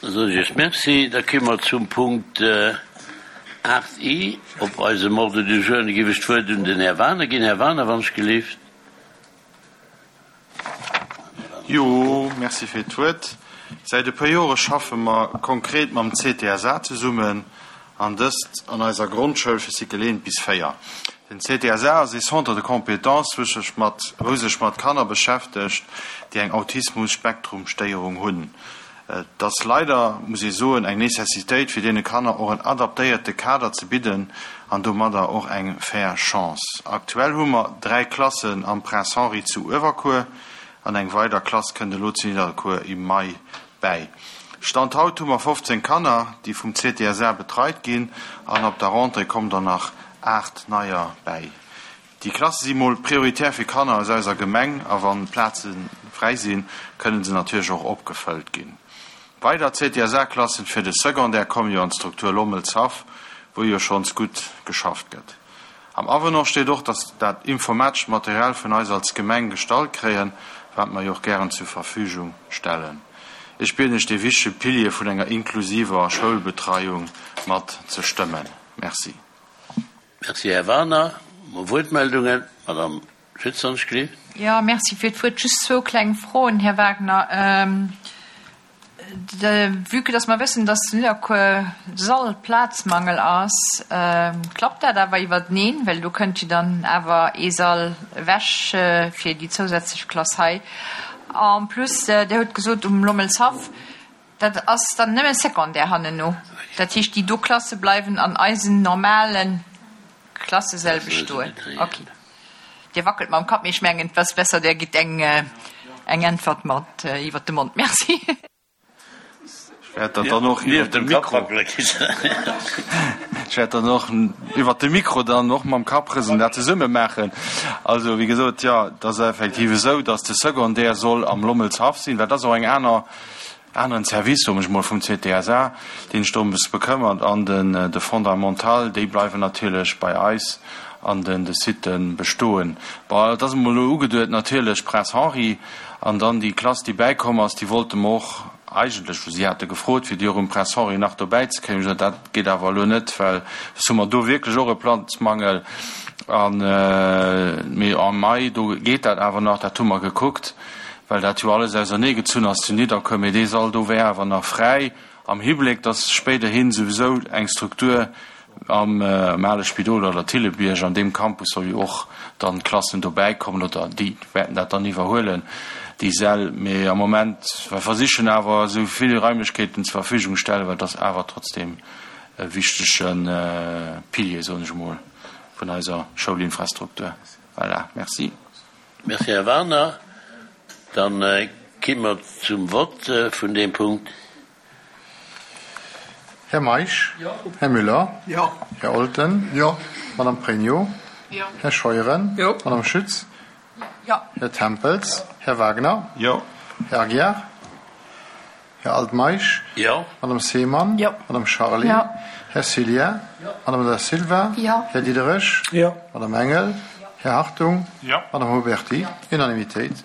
Da soen ech Iech Merci. Da komme mer zum Punkt 8 I op eisem Ordre du jour. An da géif ech d'Wuert un den Här Wagener ginn. Här Wagener, wann ech gelift. Jo, merci fir d'Wuert. Säit e puer Jore schaffe mer konkret mam CTSA zesummen, an dëst an eiser Grondschoul fir Cycle 1 bis 4. Den CTSA ass ee Centre de compétences, wou sech mat wou sech mat Kanner beschäftegt, déi eng Autismus-Spektrum-Stéierung hunn. Et ass leider, muss ee soen, eng Necessitéit, fir deene Kanner och en adaptéierte Kader ze bidden an domadder och eng fair Chance. Aktuell hu mer 3 Klassen am Prince Henri zu Uewerkuer an eng weider Klass kënnt elo zu Nidderkuer im Mai bäi. Stand haut hu mer 15 Kanner, déi vum CTSA betreit ginn an ab der Rentrée kommen der nach 8 neier bäi. Déi Klasse si mol prioritär fir Kanner aus eiser Gemeng a wann Plaze fräi sinn, kënnen se natierlech och opgefëllt ginn. Weider CTSA-Klassen fir de Secondaire kommen jo an d'Struktur Lommelshaff, wou jo schonns gutt geschafft gëtt. Am Avenant steet och, dass dat informatescht Material vun eis als Gemeng gestallt kréien, wat mer jo och gären zur Verfügung stellen. Ech bieden Iech dee wichtege Pilier vun enger inklusiver Schoulbetreiung mat ze stëmmen. Merci. Merci, Här Wagener. Mo Wuertmeldungen? Madame Schütz, wann ech gelift. Jo, merci fir d'Wuert. Just zwou kleng Froen, Här Wagner. Vue que dass mer wëssen, dass zu Nidderkuer Sallplazmangel ass, klappt dat awer iwwerteneen? Well do kënnt jo dann awer ee Sall ewech fir déi zousätzlech Klass hei. En plus, Dir hutt gesot um Lommelshaff, Dat ass dann nëmme Secondaire hannenno. Dat heescht, déi do Klasse bleiwen an eisen normale Klassesäll bestoen. Okay. Dir wackelt mam Kapp, mee ech mengen, et ass besser, Der gitt eng Äntwert mat iwwert de Mond. Merci. Ech wäert dat dann och iwwert de Mikro, ech wäert dann och iwwert de Mikro dann och mam Kapp rëselen, dat zesumme maachen. Also, wéi gesot, jo, et ass effektiv esou, datt de Secondaire soll am Lommelshaff sinn, well dat ass och eng aner Aneren Service, soen ech mol, vum CTSA, deen sech dorëms bekëmmert, an den de Fondamental, déi bleiwen natierlech bei eis an den de Sitë bestoen. Bon, et ass emol elo ugeduet natierlech Prince Henri, an dann déi Klass, déi bäikomm ass, déi wollte mer och eigentlech, si hate gefrot, fir déi och um Prince Henri nach dobäi ze kréien. Ech hunn gesot, dat geet awer elo net, well soss hu mer do wierklech och e Platzmangel. An, mee am Mai, do geet dat awer nach, dat hu mer gekuckt. Well dat jo alles ausernee gezunn ass zu Nidderkuer, mee dee Sall do wär awer nach fräi, am Hibléck, datt spéiderhin souwisou eng Struktur am ale Spidol oder Thillebierg, an deem Campus soll jo och dann d'Klassen dobäi kommen oder déi wäerten dat dann iwwerhuelen, déi Säll. Mee am Moment, mer versichen awer esou vill Raimlechkeeten zur Verfügung stellen, well et ass awer trotzdem e wichtege Pilier, soen ech emol, vun eiser Schoulinfrastruktur. Voilà, merci. Merci, Här Wagener. Da gi mer zum Vott vun deem Punkt. Här Meisch? Här Müller? Här Olten? Madame Pregno? Här Scheuren? Madame Schütz? Här Tempels? Här Wagner? Här Aguiar? Här Altmeisch? Madame Seemann? Madame Charlé? Här Cillien? Madame Da Silva? Här Diderich? Madame Engel? Här Hartung? Madame Huberty? Unanimitéit.